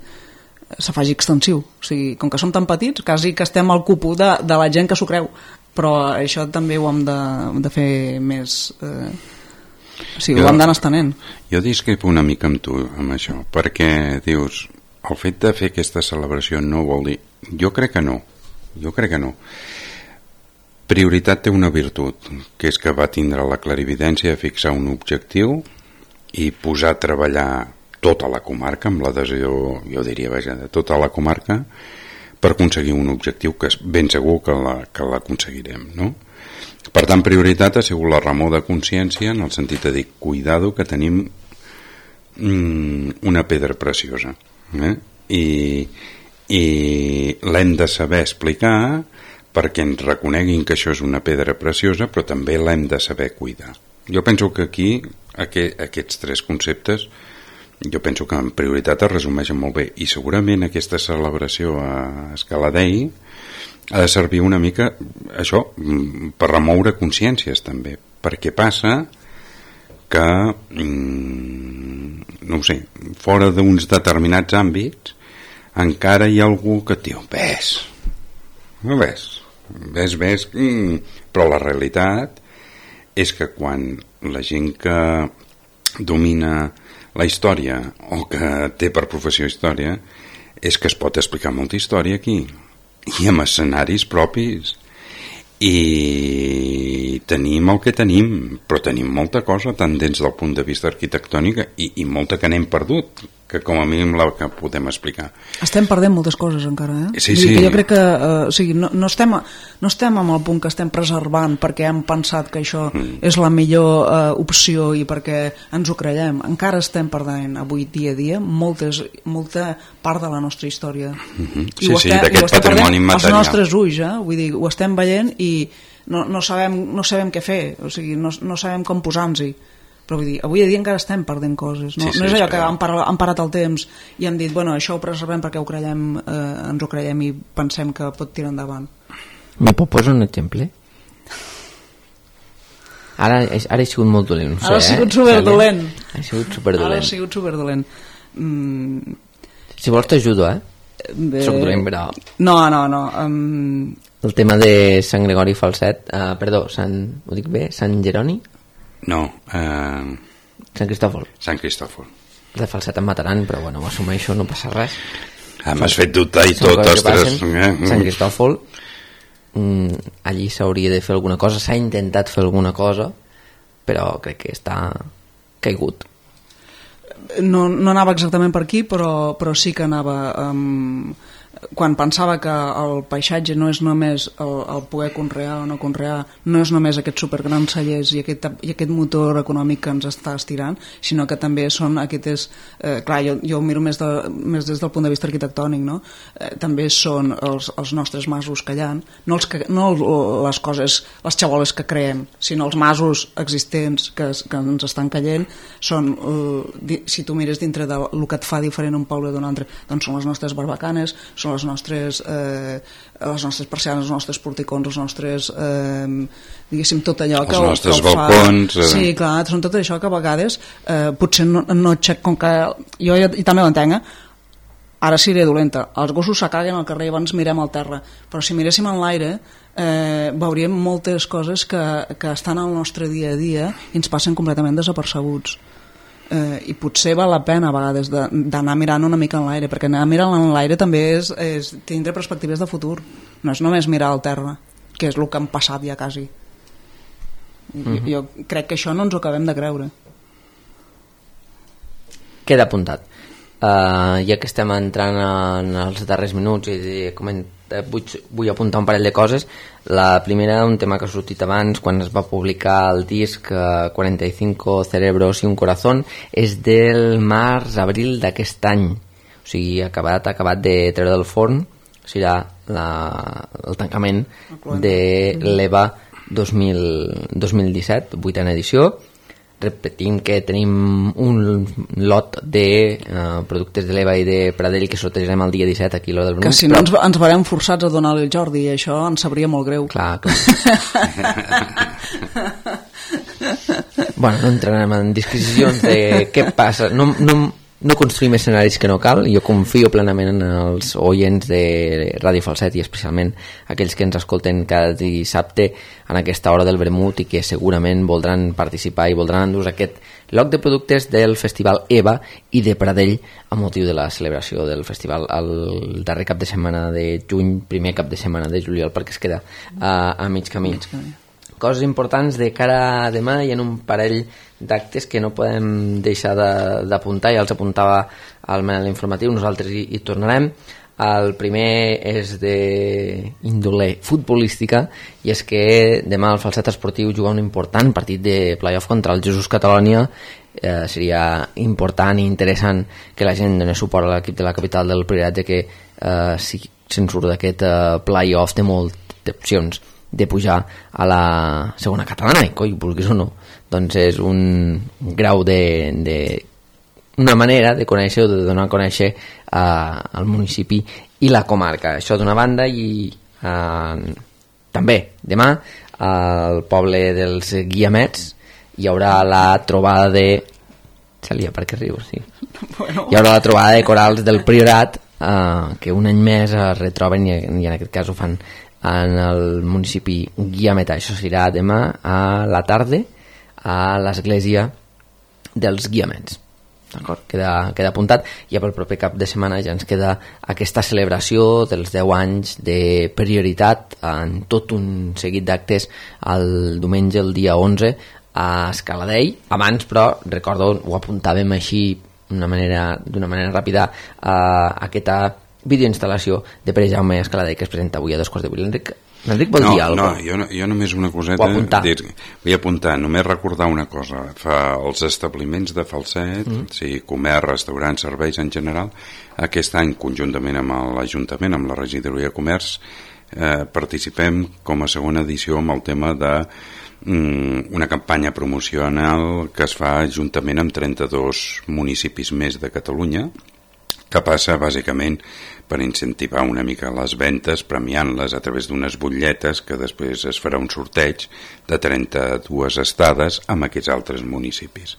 se faci extensiu. O sigui, com que som tan petits, quasi que estem al cupo de la gent que s'ho creu. Però això també ho hem de fer més... ho hem d'anar estenent. Jo discrepo una mica amb tu amb això, perquè dius, el fet de fer aquesta celebració no vol dir... Jo crec que no. Prioritat té una virtut, que és que va tindre la clarividència de fixar un objectiu i posar a treballar tota la comarca, amb l'adhesió, jo diria, de tota la comarca, per aconseguir un objectiu que ben segur que l'aconseguirem, no? Per tant, prioritat ha sigut la remor de consciència, en el sentit de dir, cuidado, que tenim una pedra preciosa, i l'hem de saber explicar perquè ens reconeguin que això és una pedra preciosa, però també l'hem de saber cuidar. Jo penso que aquí aquests 3 conceptes, jo penso que en prioritat es resumeixen molt bé, i segurament aquesta celebració a Escaladell ha de servir una mica això, per remoure consciències també, perquè passa que no ho sé, fora d'uns determinats àmbits encara hi ha algú que et diu ves, però la realitat és que quan la gent que domina la història o que té per professió història és que es pot explicar molta història aquí i amb escenaris propis i tenim el que tenim, però però tenim molta cosa tant des del punt de vista arquitectònic i molta que n'hem perdut, que com a mínim la que podem explicar. Estem perdent moltes coses encara, eh? Sí. Que jo crec que o sigui, no estem en el punt que estem preservant perquè hem pensat que això és la millor opció i perquè ens ho creiem. Encara estem perdent avui dia a dia molta part de la nostra història. Sí, d'aquest patrimoni material. Els nostres ulls, vull dir, ho estem veient i no sabem què fer, o sigui, no sabem com posar-nos-hi. Però vull dir, avui a dia encara estem perdent coses, no? No és allò que han parat el temps i hem dit, bueno, això ho preservem perquè ens ho creiem i pensem que pot tirar endavant. Me pot posar un exemple? Ara he sigut molt dolent, no sé, Ara ha sigut superdolent. Ha sigut superdolent. Ara ha sigut superdolent. Si vols t'ajudo, Soc dolent, però... No. El tema de Sant Gregori Falset, perdó, ho dic bé, Sant Jeroni? No, Sant Cristòfol. Sant Cristòfol. De Falset em mataran, però bueno, ho assumeixo, no passa res. M'has fet dubtar i tot, ostres. Sant Cristòfol, allí s'hauria de fer alguna cosa, s'ha intentat fer alguna cosa, però crec que està caigut. No anava exactament per aquí, però sí que anava... quan pensava que el paisatge no és només el poder conrear o no conrear, no és només aquests supergrans cellers i aquest motor econòmic que ens està estirant, sinó que també són aquestes... clar, jo ho miro més des del punt de vista arquitectònic, no? També són els nostres masos que hi ha, no les coses, les xaboles que creem, sinó els masos existents que ens estan caient, són, si tu mires dintre del que et fa diferent un poble d'un altre, doncs són les nostres barbacanes, són les nostres persianes, els nostres porticons, els nostres diguéssim tot allò que els nostres balcons sí, clar, són tot això que a vegades potser no com que jo i també ho entenc, ara seré dolenta, els gossos s'acaguen al carrer i abans mirem al terra, però si miréssim en l'aire veuríem moltes coses que estan al nostre dia a dia i ens passen completament desapercebuts. I potser val la pena a vegades d'anar mirant una mica en l'aire, perquè anar mirant en l'aire també és tindre perspectives de futur, no és només mirar al terra, que és el que han passat ja quasi. Jo crec que això no ens ho acabem de creure. Queda apuntat. Ja que estem entrant en els darrers minuts i vull apuntar un parell de coses. La primera, un tema que ha sortit abans quan es va publicar el disc 45 cerebros y un corazón, és del març-abril d'aquest any, o sigui, acabat de treure del forn, o sigui, el tancament de l'EVA 2017, 8a edició. Repetim que tenim un lot de productes de l'EVA i de Pradell que sortejarem el dia 17 aquí a l'Hora del Brunc. Que si no ens veurem forçats a donar-li el Jordi i això ens sabria molt greu. Clar. Bueno, no entrarem en disquisicions de què passa. No construïm escenaris que no cal. Jo confio plenament en els oients de Ràdio Falset i especialment aquells que ens escolten cada dissabte en aquesta hora del vermut i que segurament voldran participar i voldran endur aquest lot de productes del Festival EVA i de Pradell a motiu de la celebració del festival el darrer cap de setmana de juny, primer cap de setmana de juliol, perquè es queda a mig camí. Coses importants de cara a demà i en un parell d'actes que no podem deixar d'apuntar, ja els apuntava al Manel Informatiu, nosaltres hi tornarem. El primer és d'índole futbolística i és que demà el Falset Esportiu juga un important partit de playoff contra el Jesús Catalònia. Seria important i interessant que la gent donés suport a l'equip de la capital del Priorat, que si se'n surt d'aquest playoff té moltes opcions de pujar a la segona catalana, i coi, vulguis o no, doncs és un grau una manera de conèixer o de donar a conèixer al municipi i la comarca. Això d'una banda, i també demà al poble dels Guiamets hi haurà la trobada de... Celia, per què rius? Sí. Bueno. Hi haurà la trobada de corals del Priorat que un any més es retroben i en aquest cas ho fan en el municipi guiametà. Això serà demà a la tarda a l'església dels Guiamets. D'acord? Queda apuntat. Ja pel proper cap de setmana ja ens queda aquesta celebració dels 10 anys de Prioritat en tot un seguit d'actes el diumenge, el dia 11, a Escaladell. Abans, però, recordo, ho apuntàvem així d'una manera ràpida a aquesta videoinstal·lació de Pere Jaume Escaladell que es presenta avui a 2:15. L'Enric vol dir alguna cosa? No, jo només una coseta. Vull apuntar, només recordar una cosa. Els establiments de Falset, sigui comerç, restaurants, serveis en general, aquest any, conjuntament amb l'Ajuntament, amb la Regidoria de Comerç, participem com a segona edició amb el tema de una campanya promocional que es fa juntament amb 32 municipis més de Catalunya, que passa bàsicament per incentivar una mica les ventes, premiant-les a través d'unes butlletes que després es farà un sorteig de 32 estades amb aquests altres municipis.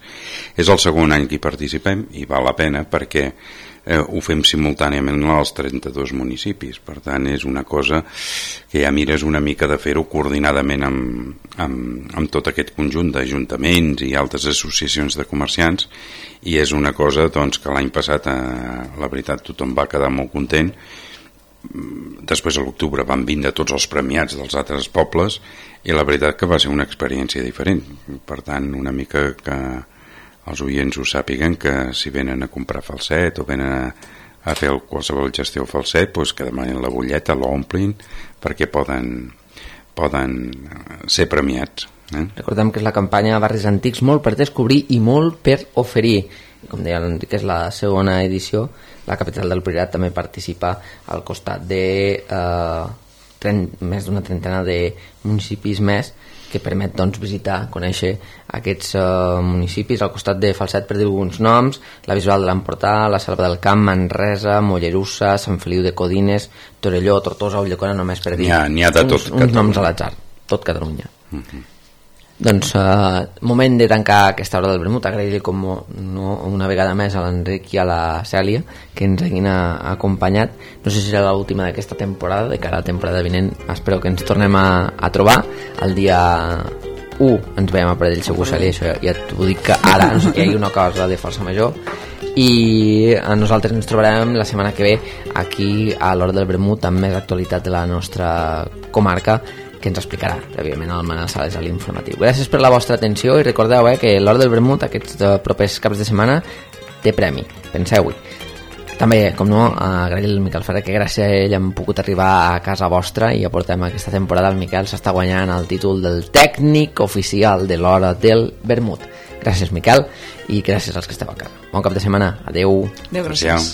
És el segon any que hi participem i val la pena perquè ho fem simultàniament als 32 municipis, per tant és una cosa que ja mires una mica de fer-ho coordinadament amb tot aquest conjunt d'ajuntaments i altres associacions de comerciants, i és una cosa doncs, que l'any passat la veritat tothom va quedar molt content. Després a l'octubre van vindre tots els premiats dels altres pobles i la veritat que va ser una experiència diferent, per tant una mica que els oients ho sàpiguen, que si venen a comprar Falset o venen a fer qualsevol gestió Falset, doncs que demanin la butlleta, l'omplin perquè poden ser premiats. Recordem que és la campanya Barris Antics, molt per descobrir i molt per oferir. Com deia l'Enric, és la segona edició. La capital del Priorat també participa al costat de més d'una trentena de municipis més, que permet doncs, visitar, conèixer aquests municipis. Al costat de Falset, per dir alguns noms, la Bisbal de l'Empordà, la Selva del Camp, Manresa, Mollerussa, Sant Feliu de Codines, Torelló, Tortosa, Ulldecona, només per dir n'hi ha de tot uns noms a l'atzar, tot Catalunya. Doncs moment de tancar aquesta hora del vermut. Agrair-li com una vegada més a l'Enric i a la Cèlia que ens hagin acompanyat. No sé si serà l'última d'aquesta temporada, de cara a la temporada vinent espero que ens tornem a trobar. El dia 1 ens veiem a Pradell, segur, Cèlia, això ja t'ho dic que ara, no sé que hi hagi una cosa de força major. I a nosaltres ens trobarem la setmana que ve aquí a l'hora del vermut amb més actualitat de la nostra comarca, que ens explicarà, prèviament, el Manel Sales a l'informatiu. Gràcies per la vostra atenció i recordeu que l'hora del vermut aquests propers caps de setmana té premi, penseu-hi. També, com no, agrair al Miquel Ferrer, que gràcies a ell hem pogut arribar a casa vostra i aportem aquesta temporada. El Miquel s'està guanyant el títol del tècnic oficial de l'hora del vermut. Gràcies, Miquel, i gràcies als que esteu a casa. Bon cap de setmana. Adeu. Adeu, gràcies.